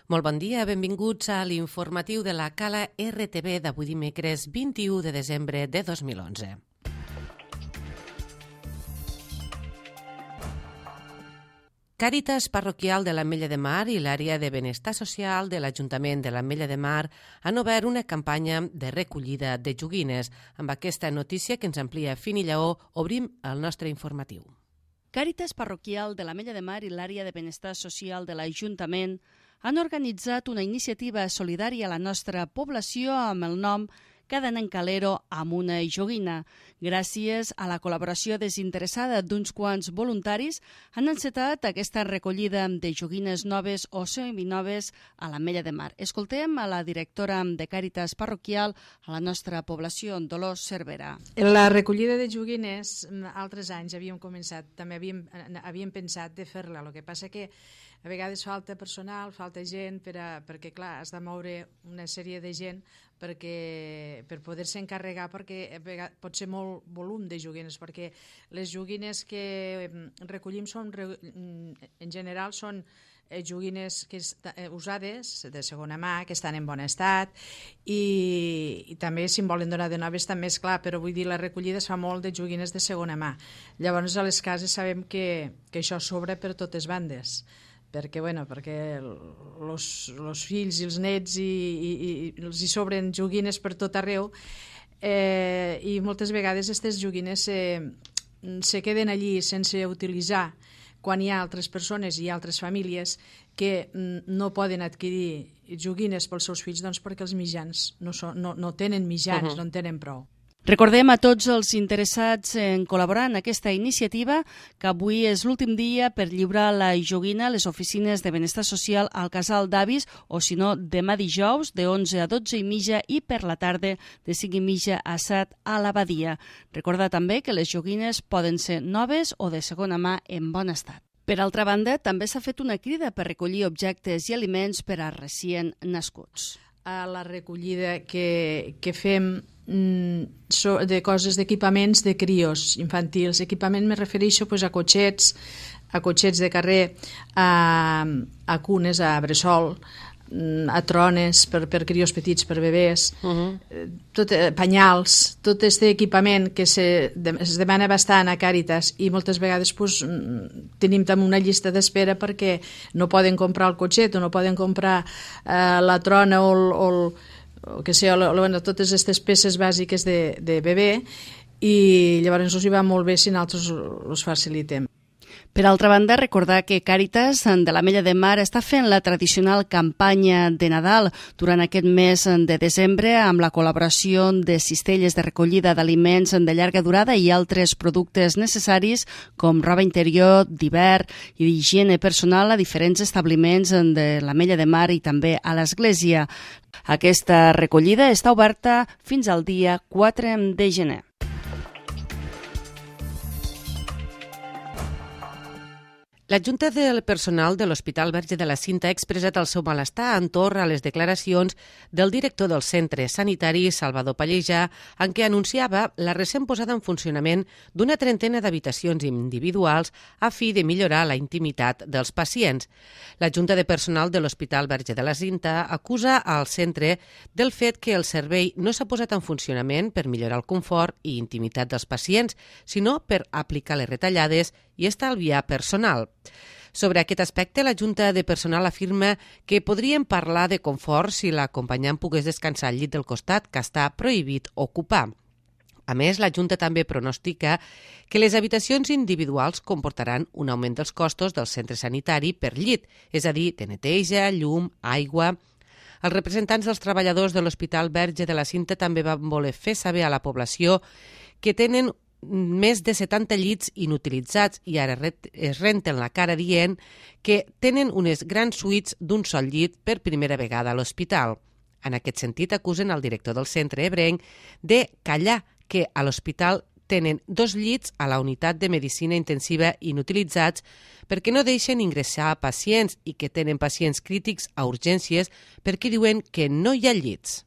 Molt bon dia, benvinguts a l'informatiu de la Cala RTV d'avui dimecres 21 de desembre de 2011. Càritas Parroquial de l'Ametlla de Mar i l'Àrea de Benestar Social de l'Ajuntament de l'Ametlla de Mar han obert una campanya de recollida de joguines. Amb aquesta notícia que ens amplia Fini Lleó, obrim el nostre informatiu. Càritas Parroquial de l'Ametlla de Mar i l'Àrea de Benestar Social de l'Ajuntament han organitzat una iniciativa solidària a la nostra població amb el nom Cada nen calero amb una joguina. Gràcies a la col·laboració desinteressada d'uns quants voluntaris, han encetat aquesta recollida de joguines noves o seminoves a l'Ametlla de Mar. Escoltem a la directora de Càritas Parroquial a la nostra població, Dolors Cervera. La recollida de joguines, altres anys havíem començat, també havíem pensat de fer-la. El que passa que a vegades falta personal, falta gent, perquè clar, has de moure una sèrie de gent per poder-se encarregar, perquè pot ser molt volum de joguines, perquè les joguines que recollim en general són joguines usades, de segona mà, que estan en bon estat, i també si en volen donar de noves també és clar, però vull dir, la recollida es fa molt de joguines de segona mà. Llavors a les cases sabem que això sobra per totes bandes, perquè els fills i els nets els hi sobren joguines per tot arreu, i moltes vegades aquestes joguines se queden allí sense utilitzar quan hi ha altres persones i altres famílies que no poden adquirir joguines pels seus fills, doncs perquè els mitjans no tenen mitjans, no en tenen prou. Recordem a tots els interessats en col·laborar en aquesta iniciativa que avui és l'últim dia per lliurar la joguina a les oficines de benestar social al Casal d'Avis, o si no, demà dijous de 11 a 12:30 i per la tarda de 5:30 a 7 a l'Abadia. Recordar també que les joguines poden ser noves o de segona mà en bon estat. Per altra banda, també s'ha fet una crida per recollir objectes i aliments per a recient nascuts. A la recollida que fem de coses, d'equipaments de crios infantils. Equipament me refereixo a cotxets de carrer, a cunes, a bressol, a trones per crios petits, per bebès, penyals, tot aquest equipament que es demana bastant a Càritas i moltes vegades tenim també una llista d'espera perquè no poden comprar el cotxet o no poden comprar la trona o totes aquestes peces bàsiques de bebè, i llavors us hi va molt bé si nosaltres us facilitem. Per altra banda, recordar que Càritas de l'Ametlla de Mar està fent la tradicional campanya de Nadal durant aquest mes de desembre amb la col·laboració de cistelles de recollida d'aliments de llarga durada i altres productes necessaris com roba interior, d'hivern i d'higiene personal a diferents establiments de l'Ametlla de Mar i també a l'Església. Aquesta recollida està oberta fins al dia 4 de gener. La Junta del Personal de l'Hospital Verge de la Cinta ha expressat el seu malestar entorn a les declaracions del director del centre sanitari, Salvador Pallejà, en què anunciava la recent posada en funcionament d'una trentena d'habitacions individuals a fi de millorar la intimitat dels pacients. La Junta de Personal de l'Hospital Verge de la Cinta acusa al centre del fet que el servei no s'ha posat en funcionament per millorar el confort i intimitat dels pacients, sinó per aplicar les retallades i estalviar personal. Sobre aquest aspecte, la Junta de Personal afirma que podríem parlar de confort si l'acompanyant pogués descansar al llit del costat, que està prohibit ocupar. A més, la Junta també pronostica que les habitacions individuals comportaran un augment dels costos del centre sanitari per llit, és a dir, de neteja, llum, aigua. Els representants dels treballadors de l'Hospital Verge de la Cinta també van voler fer saber a la població que tenen més de 70 llits inutilitzats i ara es renten la cara dient que tenen unes grans suites d'un sol llit per primera vegada a l'hospital. En aquest sentit, acusen el director del centre ebrenc de callar que a l'hospital tenen 2 llits a la unitat de medicina intensiva inutilitzats perquè no deixen ingressar pacients i que tenen pacients crítics a urgències perquè diuen que no hi ha llits.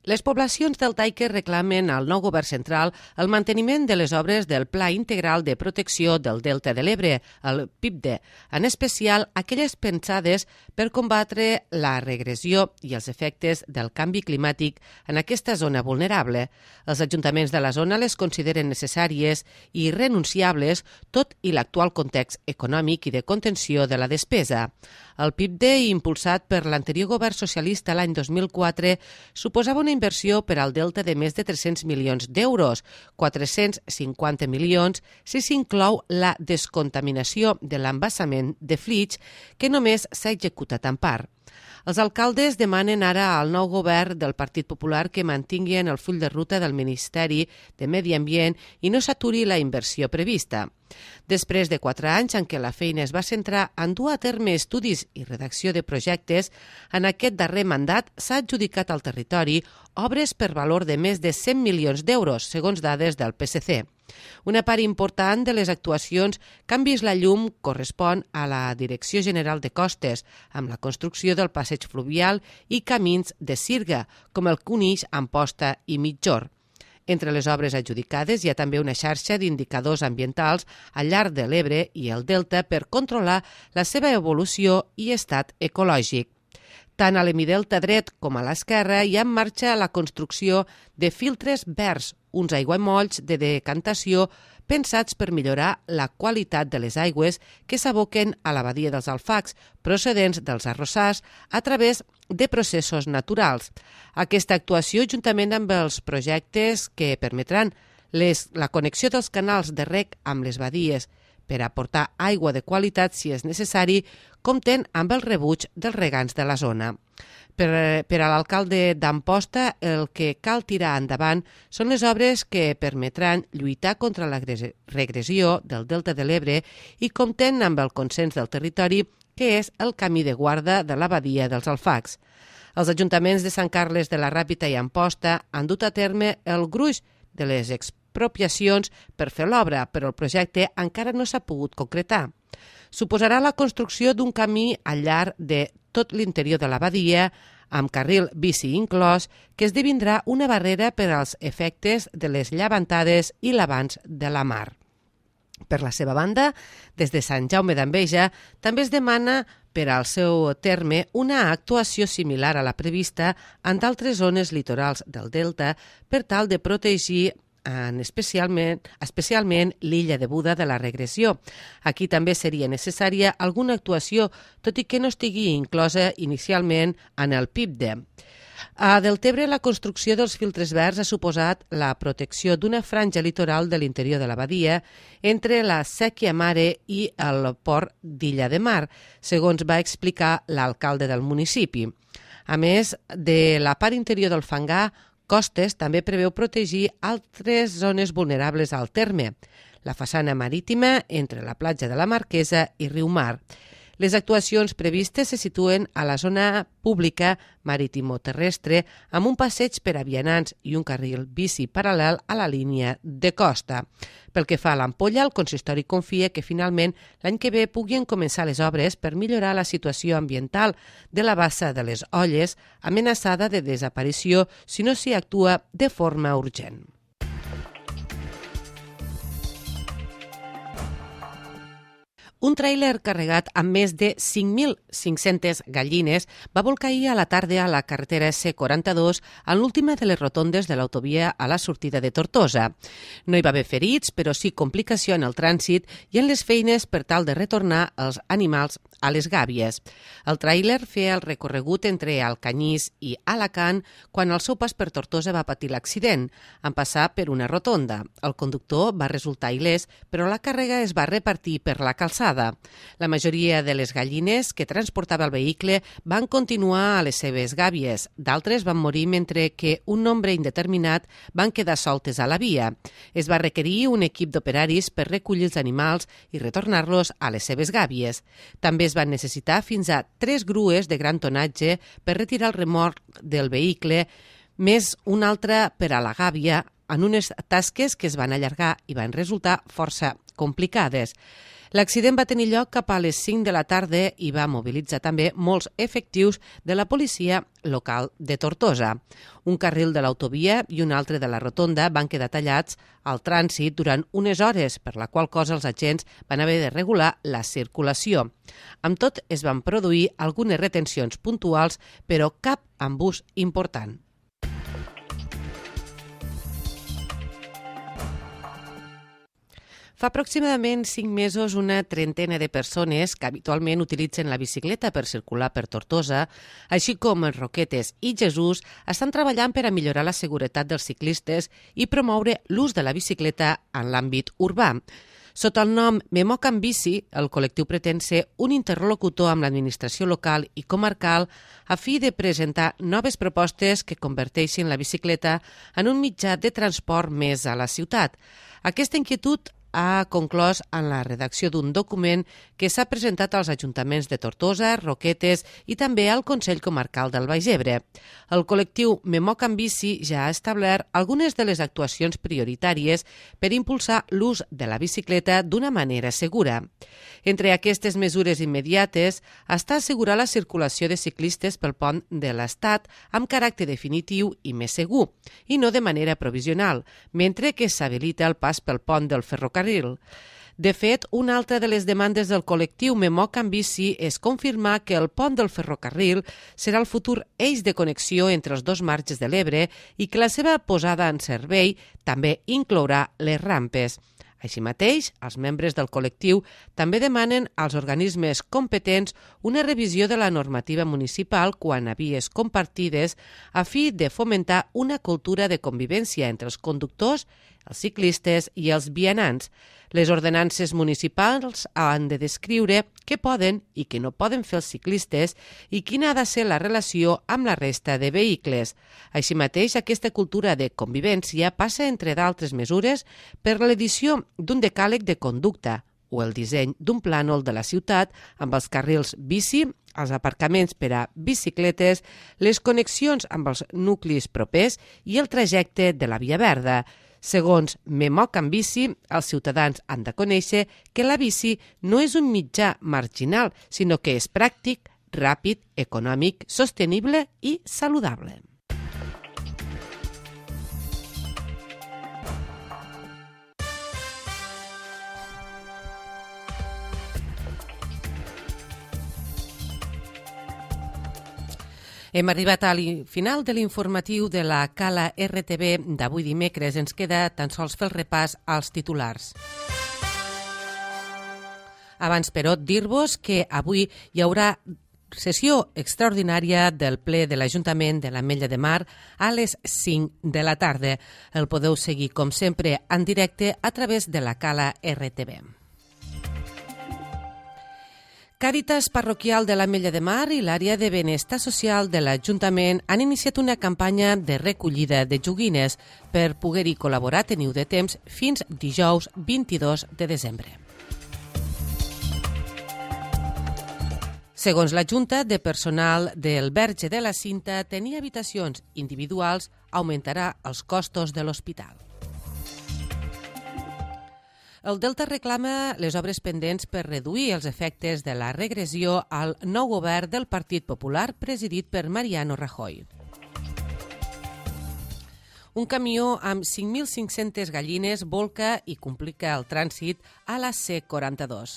Les poblacions deltaiques reclamen al nou govern central el manteniment de les obres del Pla Integral de Protecció del Delta de l'Ebre, el PIPDE, en especial aquelles pensades per combatre la regressió i els efectes del canvi climàtic en aquesta zona vulnerable. Els ajuntaments de la zona les consideren necessàries i irrenunciables, tot i l'actual context econòmic i de contenció de la despesa. El PIPDE, impulsat per l'anterior govern socialista l'any 2004, suposava una inversió per al Delta de més de 300 milions d'euros, 450 milions si s'inclou la descontaminació de l'embassament de Flix, que només s'ha executat en part. Els alcaldes demanen ara al nou govern del Partit Popular que mantinguin el full de ruta del Ministeri de Medi Ambient i no s'aturi la inversió prevista. Després de 4 anys en què la feina es va centrar en dur a terme estudis i redacció de projectes, en aquest darrer mandat s'ha adjudicat al territori obres per valor de més de 100 milions d'euros, segons dades del PSC. Una part important de les actuacions que han vist la llum correspon a la Direcció General de Costes, amb la construcció del passeig fluvial i camins de sirga, com el que uneix Amposta i Mitjor. Entre les obres adjudicades hi ha també una xarxa d'indicadors ambientals al llarg de l'Ebre i el Delta per controlar la seva evolució i estat ecològic. Tant a l'hemidelta dret com a l'esquerra hi ha en marxa la construcció de filtres verds, uns aiguamolls de decantació pensats per millorar la qualitat de les aigües que s'aboquen a la badia dels Alfacs, procedents dels arrossars, a través de processos naturals. Aquesta actuació, juntament amb els projectes que permetran la connexió dels canals de reg amb les badies per aportar aigua de qualitat si és necessari, compten amb el rebuig dels regants de la zona. Per a l'alcalde d'Amposta, el que cal tirar endavant són les obres que permetran lluitar contra la regressió del Delta de l'Ebre i compten amb el consens del territori, que és el camí de guarda de la badia dels Alfacs. Els ajuntaments de Sant Carles de la Ràpita i Amposta han dut a terme el gruix de les expropiacions per fer l'obra, però el projecte encara no s'ha pogut concretar. Suposarà la construcció d'un camí al llarg de tot l'interior de la badia, amb carril bici inclòs, que esdevindrà una barrera per als efectes de les llevantades i l'avanç de la mar. Per la seva banda, des de Sant Jaume d'Enveja també es demana per al seu terme una actuació similar a la prevista en d'altres zones litorals del Delta per tal de protegir especialment l'illa de Buda de la regressió. Aquí també seria necessària alguna actuació, tot i que no estigui inclosa inicialment en el PIPDE. A Deltebre, la construcció dels filtres verds ha suposat la protecció d'una franja litoral de l'interior de la badia entre la Sèquia Mare i el port d'Illa de Mar, segons va explicar l'alcalde del municipi. A més de la part interior del Fangar, Costes també preveu protegir altres zones vulnerables al terme, la façana marítima entre la platja de la Marquesa i Riumar. Les actuacions previstes se situen a la zona pública marítimo-terrestre amb un passeig per a vianants i un carril bici paral·lel a la línia de costa. Pel que fa a l'Ampolla, el consistori confia que finalment l'any que ve puguin començar les obres per millorar la situació ambiental de la bassa de les Olles, amenaçada de desaparició si no s'hi actua de forma urgent. Un tràiler carregat amb més de 5.500 gallines va volcar ahir a la tarda a la carretera C42 en l'última de les rotondes de l'autovia a la sortida de Tortosa. No hi va haver ferits, però sí complicació en el trànsit i en les feines per tal de retornar els animals a les gàbies. El tràiler feia el recorregut entre Alcanyís i Alacant quan al seu pas per Tortosa va patir l'accident, en passar per una rotonda. El conductor va resultar il·lès, però la càrrega es va repartir per la calçada. La majoria de les gallines que transportava el vehicle van continuar a les seves gàbies. D'altres van morir mentre que un nombre indeterminat van quedar soltes a la via. Es va requerir un equip d'operaris per recollir els animals i retornar-los a les seves gàbies. També es van necessitar fins a 3 grues de gran tonatge per retirar el remolc del vehicle, més una altra per a la gàbia, en unes tasques que es van allargar i van resultar força complicades. L'accident va tenir lloc cap a les 5 de la tarda i va mobilitzar també molts efectius de la policia local de Tortosa. Un carril de l'autovia i un altre de la rotonda van quedar tallats al trànsit durant unes hores, per la qual cosa els agents van haver de regular la circulació. Amb tot, es van produir algunes retencions puntuals, però cap embús important. Fa aproximadament 5 mesos una trentena de persones que habitualment utilitzen la bicicleta per circular per Tortosa, així com els Roquetes i Jesús, estan treballant per a millorar la seguretat dels ciclistes i promoure l'ús de la bicicleta en l'àmbit urbà. Sota el nom Memoc en Bici, el col·lectiu pretén ser un interlocutor amb l'administració local i comarcal a fi de presentar noves propostes que converteixin la bicicleta en un mitjà de transport més a la ciutat. Aquesta inquietud ha conclòs en la redacció d'un document que s'ha presentat als ajuntaments de Tortosa, Roquetes i també al Consell Comarcal del Baix Ebre. El col·lectiu Memoc en Bici ja ha establert algunes de les actuacions prioritàries per impulsar l'ús de la bicicleta d'una manera segura. Entre aquestes mesures immediates està assegurar la circulació de ciclistes pel pont de l'Estat amb caràcter definitiu i més segur, i no de manera provisional, mentre que s'habilita el pas pel pont del ferrocarril. De fet, una altra de les demandes del col·lectiu Memoc en Bici és confirmar que el pont del ferrocarril serà el futur eix de connexió entre els dos marges de l'Ebre i que la seva posada en servei també inclourà les rampes. Així mateix, els membres del col·lectiu també demanen als organismes competents una revisió de la normativa municipal quant a vies compartides a fi de fomentar una cultura de convivència entre els conductors, els ciclistes i els vianants. Les ordenances municipals han de descriure què poden i què no poden fer els ciclistes i quina ha de ser la relació amb la resta de vehicles. Així mateix, aquesta cultura de convivència passa, entre d'altres mesures, per l'edició d'un decàleg de conducta o el disseny d'un plànol de la ciutat amb els carrils bici, els aparcaments per a bicicletes, les connexions amb els nuclis propers i el trajecte de la via verda. Segons Memoc en Bici, els ciutadans han de conèixer que la bici no és un mitjà marginal, sinó que és pràctic, ràpid, econòmic, sostenible i saludable. Hem arribat al final de l'informatiu de la Cala RTV d'avui dimecres. Ens queda tan sols fer el repàs als titulars. Abans, però, dir-vos que avui hi haurà sessió extraordinària del ple de l'Ajuntament de l'Ametlla de Mar a les 5 de la tarda. El podeu seguir, com sempre, en directe a través de la Cala RTV. Càritas Parroquial de l'Ametlla de Mar i l'àrea de benestar social de l'Ajuntament han iniciat una campanya de recollida de joguines. Per poder-hi col·laborar teniu de temps fins dijous 22 de desembre. Segons la Junta de Personal del Verge de la Cinta, tenir habitacions individuals augmentarà els costos de l'hospital. El Delta reclama les obres pendents per reduir els efectes de la regressió al nou govern del Partit Popular presidit per Mariano Rajoy. Un camió amb 5.500 gallines volca i complica el trànsit a la C42.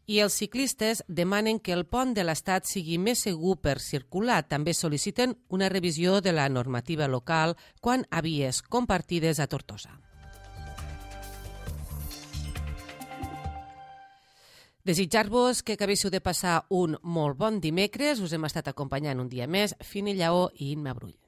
I els ciclistes demanen que el pont de l'Estat sigui més segur per circular. També sol·liciten una revisió de la normativa local quant a vies compartides a Tortosa. Desitjar-vos que acabéssiu de passar un molt bon dimecres. Us hem estat acompanyant un dia més, Fini Lleó i Imma Brull.